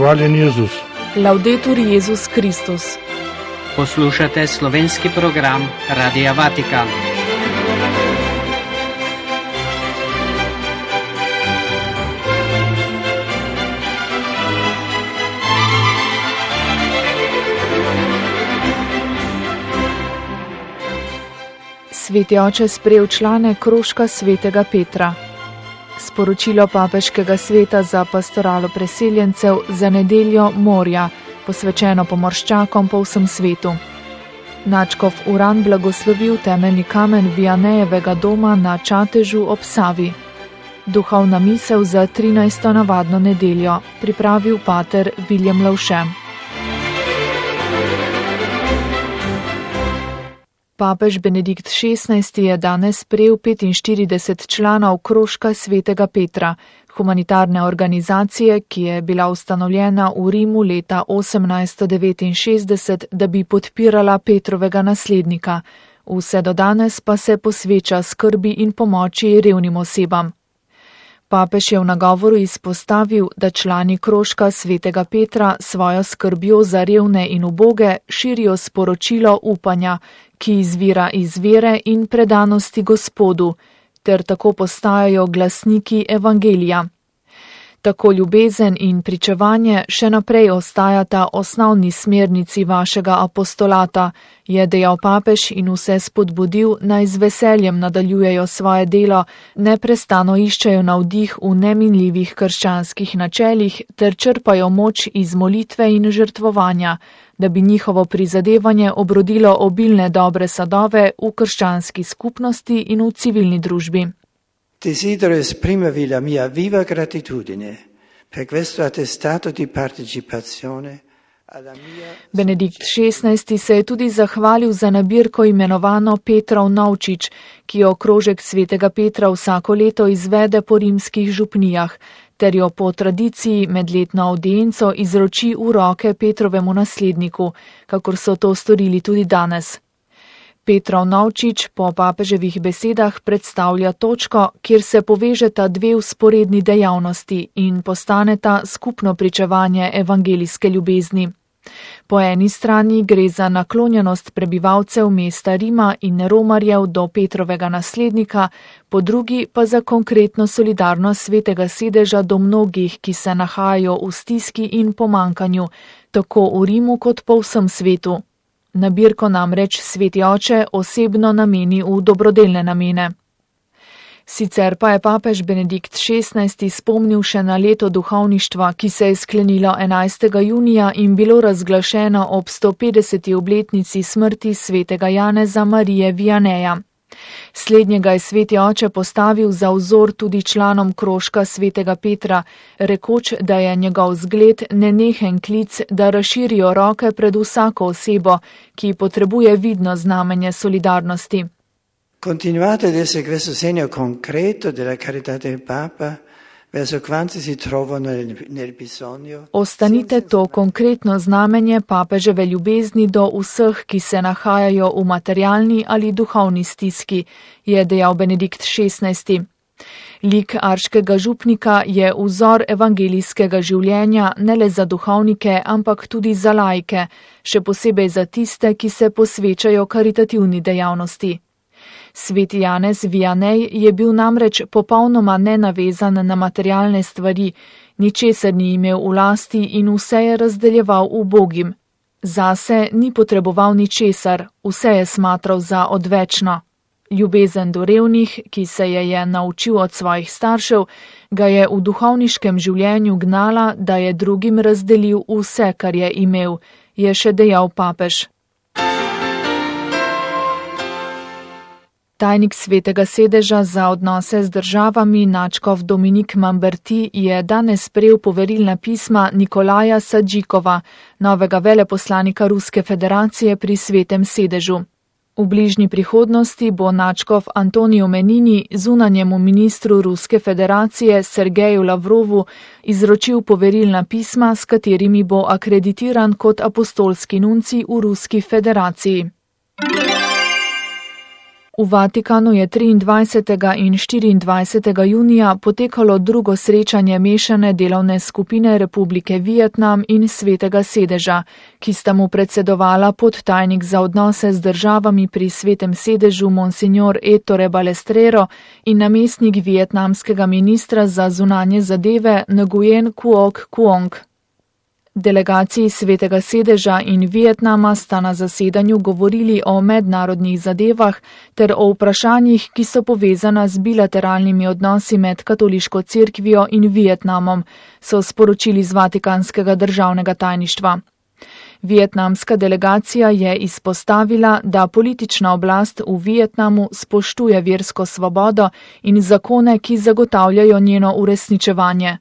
Hvaljen Jezus. Laudetur Jezus Kristus. Poslušate slovenski program Radia Vatikan. Sveti oče sprejel člane krožka svetega Petra. Sporočilo papeškega sveta za pastoralo preseljencev za nedeljo morja, posvečeno pomorščakom po vsem svetu. Nadškof Uran blagoslovil temeljni kamen Vianejevega doma na Čatežu ob Savi. Duhovna misel za 13. navadno nedeljo, pripravil pater Viljem Lavše. Papež Benedikt XVI je danes sprejel 45 članov krožka svetega Petra, humanitarne organizacije, ki je bila ustanovljena v Rimu leta 1869, da bi podpirala Petrovega naslednika. Vse do danes pa se posveča skrbi in pomoči revnim osebam. Papež je v nagovoru izpostavil, da člani krožka svetega Petra svojo skrbjo za revne in uboge širijo sporočilo upanja, ki izvira iz vere in predanosti Gospodu, ter tako postajajo glasniki evangelija. Tako ljubezen in pričevanje še naprej ostajata osnovni smernici vašega apostolata, je dejal papež in vse spodbudil, naj z veseljem nadaljujejo svoje delo, neprestano iščejo navdih v neminljivih krščanskih načelih ter črpajo moč iz molitve in žrtvovanja, da bi njihovo prizadevanje obrodilo obilne dobre sadove v krščanski skupnosti in v civilni družbi. Desidero esprimervi la mia viva gratitudine per questo attestato di partecipazione alla mia... Benedikt XVI se je tudi zahvalil za nabirko imenovano Petrov Novčič, ki jo krožek svetega Petra vsako leto izvede po rimskih župnijah, ter jo po tradiciji medletno avdienco izroči v roke Petrovemu nasledniku, kakor so to storili tudi danes. Petrov Novčič po papeževih besedah predstavlja točko, kjer se povežeta dve vzporedni dejavnosti in postaneta skupno pričevanje evangelijske ljubezni. Po eni strani gre za naklonjenost prebivalcev mesta Rima in romarjev do Petrovega naslednika, po drugi pa za konkretno solidarnost svetega sedeža do mnogih, ki se nahajajo v stiski in pomankanju, tako v Rimu kot po vsem svetu. Nabirko namreč sveti oče osebno nameni v dobrodelne namene. Sicer pa je papež Benedikt XVI spomnil še na leto duhovništva, ki se je sklenilo 11. junija in bilo razglašeno ob 150. obletnici smrti svetega Janeza Marije Vianeja. Slednjega je sveti oče postavil za vzor tudi članom krožka svetega Petra, rekoč, da je njegov zgled nenehen klic, da razširijo roke pred vsako osebo, ki potrebuje vidno znamenje solidarnosti. Continuate ad essere questo segno concreto della carità del Papa verso quanti si trovano nel bisogno. Ostanite to konkretno znamenje papeževe ljubezni do vseh, ki se nahajajo v materialni ali duhovni stiski, je dejal Benedikt XVI. Lik arškega župnika je vzor evangelijskega življenja ne le za duhovnike, ampak tudi za laike, še posebej za tiste, ki se posvečajo karitativni dejavnosti. Sveti Janez Vianej je bil namreč popolnoma nenavezan na materialne stvari, ničesar ni imel v lasti in vse je razdeljeval ubogim. Zase ni potreboval ničesar, vse je smatral za odvečno. Ljubezen do revnih, ki se je naučil od svojih staršev, ga je v duhovniškem življenju gnala, da je drugim razdelil vse, kar je imel, je še dejal papež. Tajnik svetega sedeža za odnose z državami nadškof Dominik Mamberti je danes sprejel poverilna pisma Nikolaja Sadžikova, novega veleposlanika Ruske federacije pri svetem sedežu. V bližnji prihodnosti bo nadškof Antonijo Menini zunanjemu ministru Ruske federacije Sergeju Lavrovu izročil poverilna pisma, s katerimi bo akreditiran kot apostolski nuncij v Ruski federaciji. V Vatikanu je 23. in 24. junija potekalo drugo srečanje mešane delovne skupine Republike Vietnam in Svetega sedeža, ki sta mu predsedovala podtajnik za odnose z državami pri Svetem sedežu Monsignor Ettore Balestrero in namestnik vietnamskega ministra za zunanje zadeve Nguyen Quoc Quong. Delegaciji Svetega sedeža in Vietnama sta na zasedanju govorili o mednarodnih zadevah ter o vprašanjih, ki so povezana z bilateralnimi odnosi med katoliško cerkvijo in Vietnamom, so sporočili z Vatikanskega državnega tajništva. Vietnamska delegacija je izpostavila, da politična oblast v Vietnamu spoštuje versko svobodo in zakone, ki zagotavljajo njeno uresničevanje.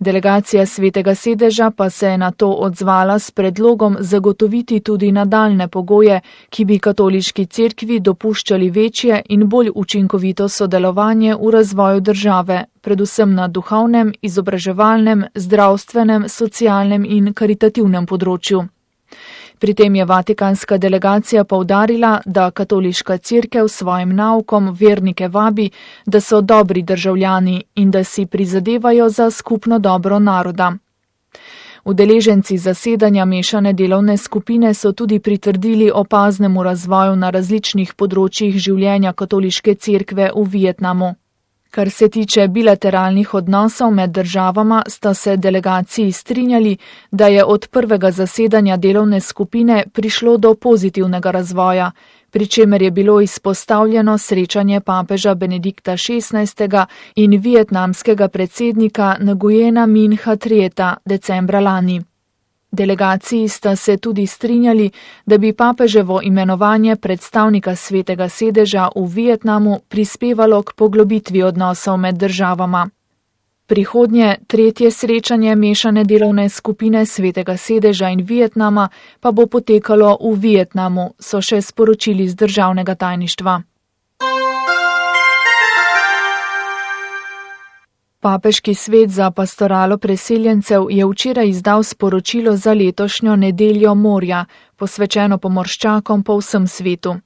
Delegacija Svetega sedeža pa se je na to odzvala s predlogom zagotoviti tudi nadaljne pogoje, ki bi katoliški cerkvi dopuščali večje in bolj učinkovito sodelovanje v razvoju države, predvsem na duhovnem, izobraževalnem, zdravstvenem, socialnem in karitativnem področju. Pri tem je vatikanska delegacija poudarila, da katoliška cerkev s svojim naukom vernike vabi, da so dobri državljani in da si prizadevajo za skupno dobro naroda. Udeleženci zasedanja mešane delovne skupine so tudi pritrdili opaznemu razvoju na različnih področjih življenja katoliške cerkve v Vietnamu. Kar se tiče bilateralnih odnosov med državama, sta se delegaciji strinjali, da je od prvega zasedanja delovne skupine prišlo do pozitivnega razvoja, pri čemer je bilo izpostavljeno srečanje papeža Benedikta XVI. In vietnamskega predsednika Nguyena Minha Trieta decembra lani. Delegaciji sta se tudi strinjali, da bi papeževo imenovanje predstavnika Svetega sedeža v Vietnamu prispevalo k poglobitvi odnosov med državama. Prihodnje, tretje srečanje mešane delovne skupine Svetega sedeža in Vietnama pa bo potekalo v Vietnamu, so še sporočili z državnega tajništva. Papeški svet za pastoralo preseljencev je včeraj izdal sporočilo za letošnjo nedeljo morja, posvečeno pomorščakom po vsem svetu.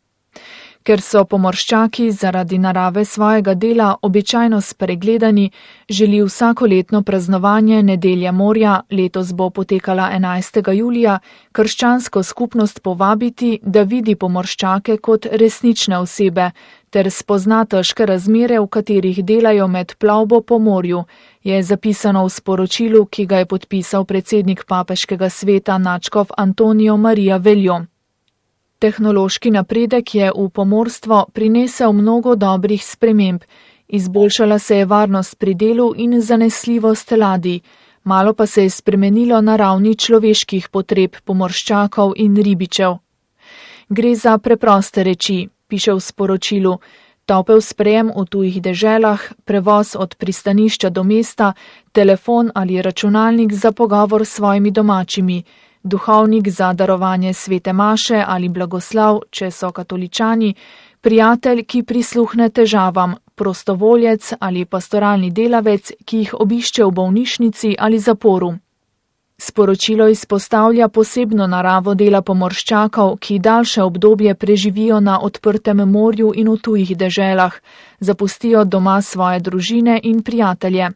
Ker so pomorščaki zaradi narave svojega dela običajno spregledani, želi vsakoletno praznovanje nedelje morja, letos bo potekala 11. julija, krščansko skupnost povabiti, da vidi pomorščake kot resnične osebe, ter spozna težke razmere, v katerih delajo med plovbo po morju, je zapisano v sporočilu, ki ga je podpisal predsednik papeškega sveta nadškof Antonio Maria Veljo. Tehnološki napredek je v pomorstvo prinesel mnogo dobrih sprememb, izboljšala se je varnost pri delu in zanesljivost ladij, malo pa se je spremenilo na ravni človeških potreb pomorščakov in ribičev. Gre za preproste reči, piše v sporočilu, topel sprejem v tujih deželah, prevoz od pristanišča do mesta, telefon ali računalnik za pogovor s svojimi domačimi, duhovnik za darovanje svete maše ali blagoslav, če so katoličani, prijatelj, ki prisluhne težavam, prostovoljec ali pastoralni delavec, ki jih obišče v bolnišnici ali zaporu. Sporočilo izpostavlja posebno naravo dela pomorščakov, ki daljše obdobje preživijo na odprtem morju in v tujih deželah, zapustijo doma svoje družine in prijatelje.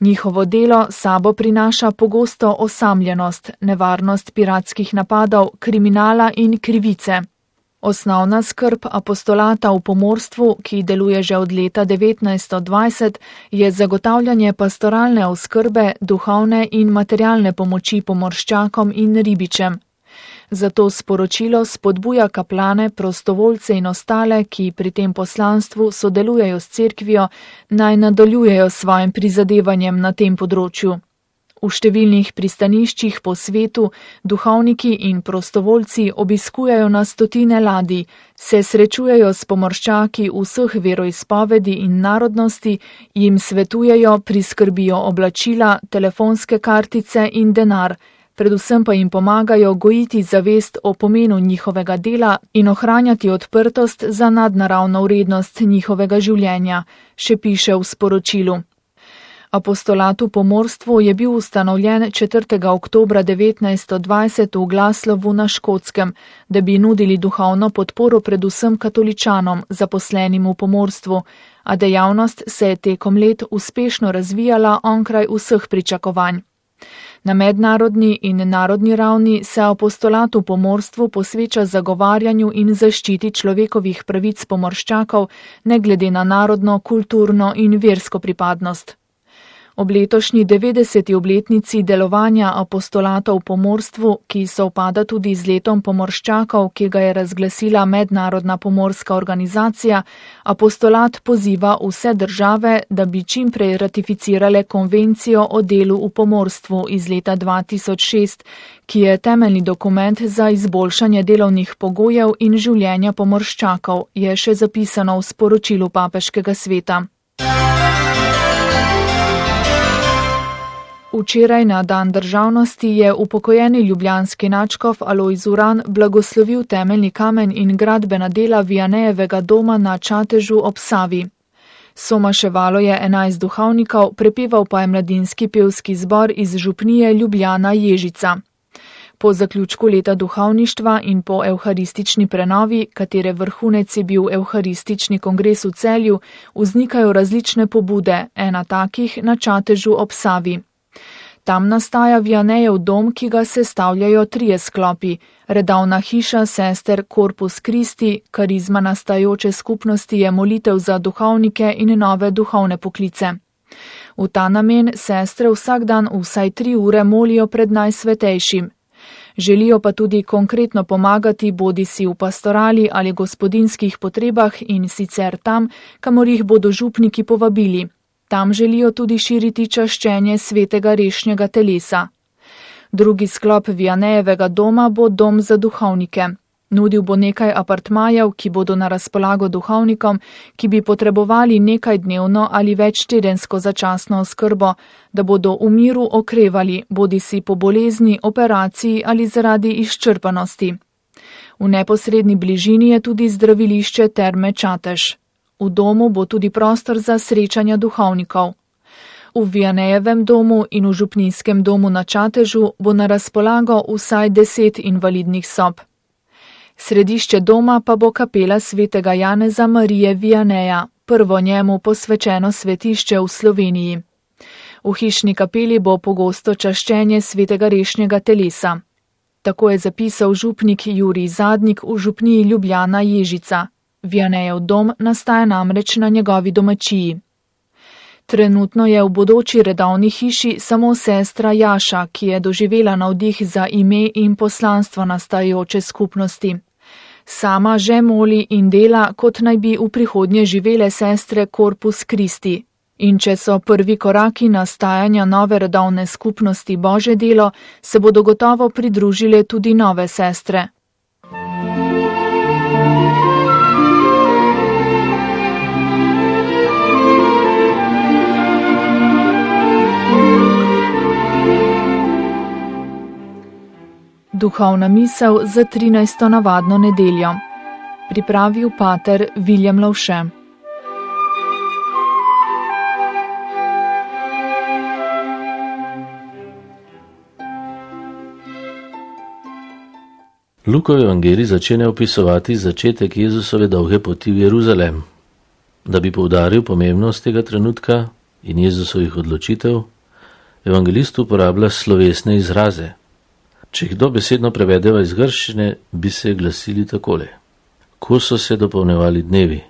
Njihovo delo sabo prinaša pogosto osamljenost, nevarnost piratskih napadov, kriminala in krivice. Osnovna skrb apostolata v pomorstvu, ki deluje že od leta 1920, je zagotavljanje pastoralne oskrbe, duhovne in materialne pomoči pomorščakom in ribičem. Zato sporočilo spodbuja kaplane, prostovoljce in ostale, ki pri tem poslanstvu sodelujejo s cerkvijo, naj nadaljujejo s svojim prizadevanjem na tem področju. V številnih pristaniščih po svetu duhovniki in prostovoljci obiskujejo na stotine ladij, se srečujejo s pomorščaki vseh veroizpovedi in narodnosti, jim svetujejo, priskrbijo oblačila, telefonske kartice in denar, predvsem pa jim pomagajo gojiti zavest o pomenu njihovega dela in ohranjati odprtost za nadnaravno vrednost njihovega življenja, še piše v sporočilu. Apostolat v pomorstvu je bil ustanovljen 4. oktobra 1920 v Glasgowu na Škotskem, da bi nudili duhovno podporo predvsem katoličanom, zaposlenim v pomorstvu, a dejavnost se je tekom let uspešno razvijala onkraj vseh pričakovanj. Na mednarodni in narodni ravni se apostolat v pomorstvu posveča zagovarjanju in zaščiti človekovih pravic pomorščakov, ne glede na narodno, kulturno in versko pripadnost. Ob letošnji 90. obletnici delovanja apostolata v pomorstvu, ki sovpada tudi z letom pomorščakov, ki ga je razglasila Mednarodna pomorska organizacija, apostolat poziva vse države, da bi čim prej ratificirale konvencijo o delu v pomorstvu iz leta 2006, ki je temeljni dokument za izboljšanje delovnih pogojev in življenja pomorščakov, je še zapisano v sporočilu papeškega sveta. Včeraj na dan državnosti je upokojeni ljubljanski nadškof Alojz Uran blagoslovil temeljni kamen in gradbena dela Vianejevega doma na Čatežu ob Savi. Somaševalo je 11 duhovnikov, prepeval pa je mladinski pevski zbor iz župnije Ljubljana Ježica. Po zaključku leta duhovništva in po evharistični prenovi, katere vrhunec je bil evharistični kongres v Celju, vznikajo različne pobude, ena takih na Čatežu ob Savi. Tam nastaja Vianejev dom, ki ga sestavljajo 3 sklopi: redovna hiša sester Corpus Christi, karizma nastajajoče skupnosti je molitev za duhovnike in nove duhovne poklice. V ta namen sestre vsak dan vsaj 3 ure molijo pred Najsvetejšim. Želijo pa tudi konkretno pomagati bodisi v pastorali ali gospodinskih potrebah in sicer tam, kamor jih bodo župniki povabili. Tam želijo tudi širiti čaščenje svetega rešnjega telesa. Drugi sklop Vianejevega doma bo dom za duhovnike. Nudil bo nekaj apartmajev, ki bodo na razpolago duhovnikom, ki bi potrebovali nekaj dnevno ali več tedensko začasno oskrbo, da bodo v miru okrevali, bodisi po bolezni, operaciji ali zaradi izčrpanosti. V neposredni bližini je tudi zdravilišče Terme Čatež. V domu bo tudi prostor za srečanja duhovnikov. V Vianejevem domu in v župnijskem domu na Čatežu bo na razpolago vsaj 10 invalidnih sob. Središče doma pa bo kapela svetega Janeza Marije Vianeja, prvo njemu posvečeno svetišče v Sloveniji. V hišni kapeli bo pogosto čaščenje svetega rešnjega telesa. Tako je zapisal župnik Jurij Zadnik v župniji Ljubljana Ježica. Vianejev dom nastaja namreč na njegovi domačiji. Trenutno je v bodoči redovni hiši samo sestra Jaša, ki je doživela navdih za ime in poslanstvo nastajajoče skupnosti. Sama že moli in dela, kot naj bi v prihodnje živele sestre Corpus Christi. In če so prvi koraki nastajanja nove redovne skupnosti Božje delo, se bodo gotovo pridružile tudi nove sestre. Duhovna misel za 13. navadno nedeljo. Pripravil pater Viljem Lovše. Lukov evangelij začenja opisovati začetek Jezusove dolge poti v Jeruzalem. Da bi poudaril pomembnost tega trenutka in Jezusovih odločitev, evangelist uporablja slovesne izraze. Če jih dobesedno prevedeva iz grščine, bi se glasili takole: ko so se dopolnjevali dnevi,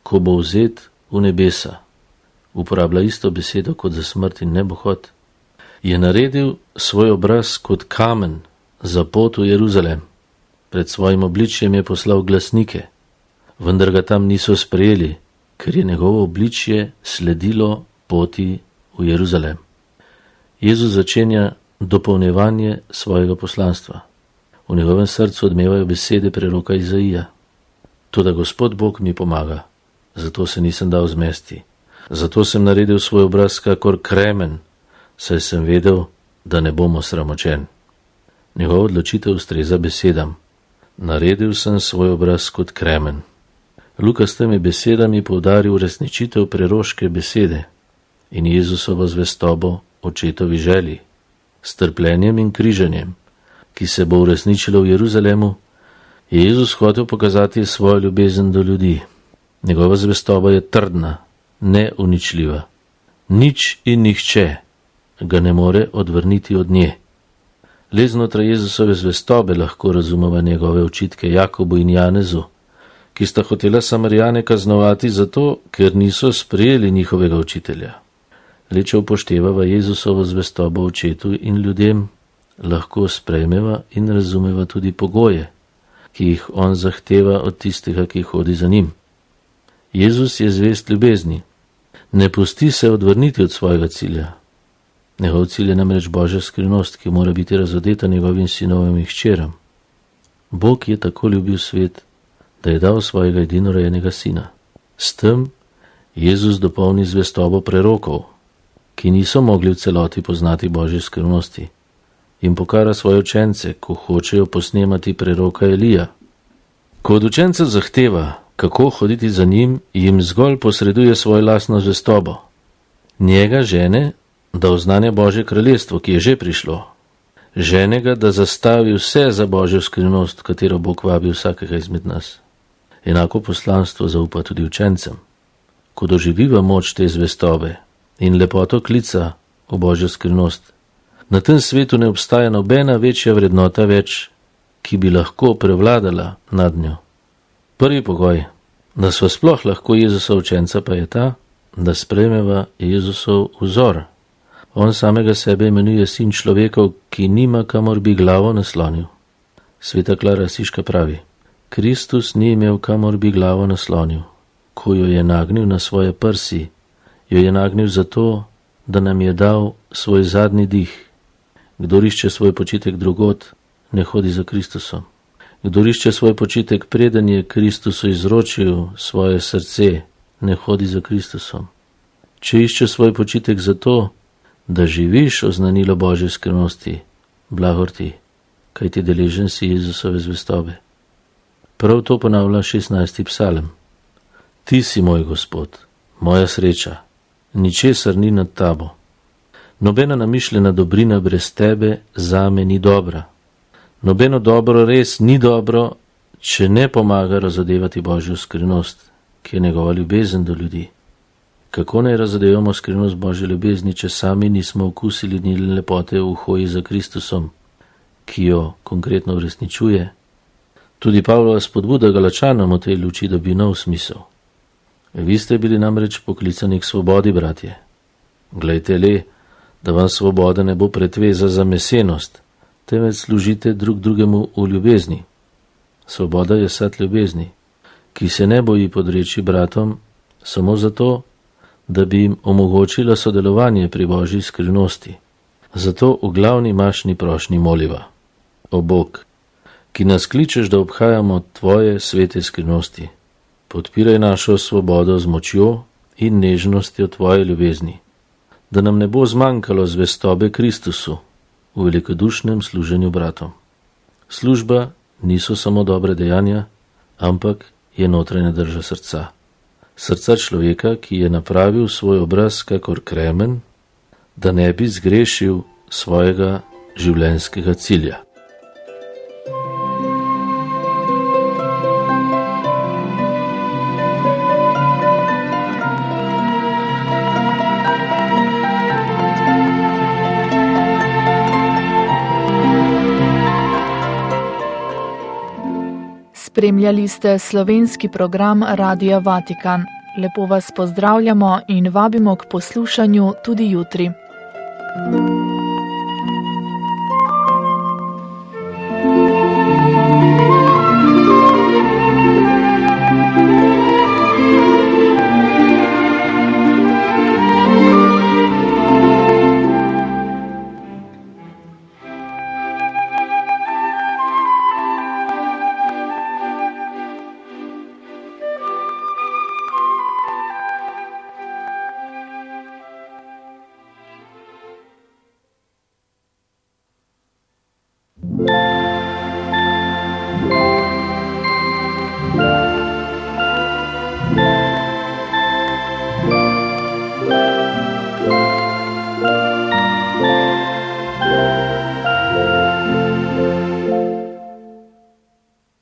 ko bo vzet v nebesa, uporablja isto besedo kot za smrt in nebohod, je naredil svoj obraz kot kamen za pot v Jeruzalem. Pred svojim obličjem je poslal glasnike, vendar ga tam niso sprejeli, ker je njegovo obličje sledilo poti v Jeruzalem. Jezus začenja dopolnjevanje svojega poslanstva. V njegovem srcu odmevajo besede preroka Izaija. Toda Gospod Bog mi pomaga, zato se nisem dal zmesti. Zato sem naredil svoj obraz kakor kremen, saj sem vedel, da ne bom osramočen. Njegova odločitev ustreza besedam. Naredil sem svoj obraz kot kremen. Luka s temi besedami poudaril resničitev preroške besede. in Jezusovo zvestobo očetovi želji, s trpljenjem in križanjem, ki se bo uresničilo v Jeruzalemu, je Jezus hotel pokazati svojo ljubezen do ljudi. Njegova zvestoba je trdna, neuničljiva. Nič in nihče ga ne more odvrniti od nje. Le znotraj Jezusove zvestobe lahko razumeva njegove očitke Jakobu in Janezu, ki sta hotela Samarijane kaznovati zato, ker niso sprejeli njihovega učitelja. Le če upoštevava Jezusovo zvestobo očetu in ljudem, lahko sprejmeva in razumeva tudi pogoje, ki jih on zahteva od tistega, ki hodi za njim. Jezus je zvest ljubezni. Ne pusti se odvrniti od svojega cilja. Njegov cilj je namreč Božja skrivnost, ki mora biti razodeta njegovim sinovim in hčeram. Bog je tako ljubil svet, da je dal svojega edinorojenega sina. S tem Jezus dopolni zvestobo prerokov, ki niso mogli v celoti poznati Božje skrivnosti, in pokara svoje učence, ko hočejo posnemati preroka Elija. Ko od učencev zahteva, kako hoditi za njim, jim zgolj posreduje svojo lastno zvestobo. Njega žene, da oznanja Božje kraljestvo, ki je že prišlo. Žene ga, da zastavi vse za Božjo skrivnost, katero Bog vabi vsakega izmed nas. Enako poslanstvo zaupa tudi učencem. Ko doživiva moč te zvestobe in lepoto klica v Božjo skrivnost, na tem svetu ne obstaja nobena večja vrednota več, ki bi lahko prevladala nad njo. Prvi pogoj, da sva sploh lahko Jezusov učenca, pa je ta, da sprejmeva Jezusov vzor. On samega sebe imenuje sin človekov, ki nima kamor bi glavo naslonil. Sveta Klara Asiška pravi: Kristus ni imel kamor bi glavo naslonil. Ko jo je nagnil na svoje prsi, jo je nagnil zato, da nam je dal svoj zadnji dih. Kdor išče svoj počitek drugod, ne hodi za Kristusom. Kdor išče svoj počitek, preden je Kristusu izročil svoje srce, ne hodi za Kristusom. Če išče svoj počitek zato, da živiš oznanilo Božje skrivnosti, blagor ti, kaj ti deležen si Jezusove zvestobe. Prav to ponavlja 16. psalem. Ti si moj Gospod, moja sreča, ničesar ni nad tabo. Nobena namišljena dobrina brez tebe zame ni dobra. Nobeno dobro res ni dobro, če ne pomaga razodevati Božjo skrivnost, ki je njegova ljubezen do ljudi. Kako naj razodevamo skrivnost Božje ljubezni, če sami nismo okusili njene lepote v hoji za Kristusom, ki jo konkretno uresničuje? Tudi Pavlova spodbuda Galačanom v tej luči dobi nov smisel. Vi ste bili namreč poklicani k svobodi, bratje. Glejte le, da vam svoboda ne bo pretveza za mesenost, temveč služite drug drugemu v ljubezni. Svoboda je sad ljubezni, ki se ne boji podreči bratom samo zato, da bi jim omogočila sodelovanje pri Božji skrivnosti. Zato v glavni mašni prošnji moliva: O Bog, ki nas kličeš, da obhajamo tvoje svete skrivnosti, podpiraj našo svobodo z močjo in nežnostjo tvoje ljubezni, da nam ne bo zmanjkalo zvestobe Kristusu v velikodušnem služenju bratom. Služba niso samo dobre dejanja, ampak je notranja drža srca. Srca človeka, ki je napravil svoj obraz kakor kremen, da ne bi zgrešil svojega življenjskega cilja. Spremljali ste slovenski program Radia Vatikan. Lepo vas pozdravljamo in vabimo k poslušanju tudi jutri.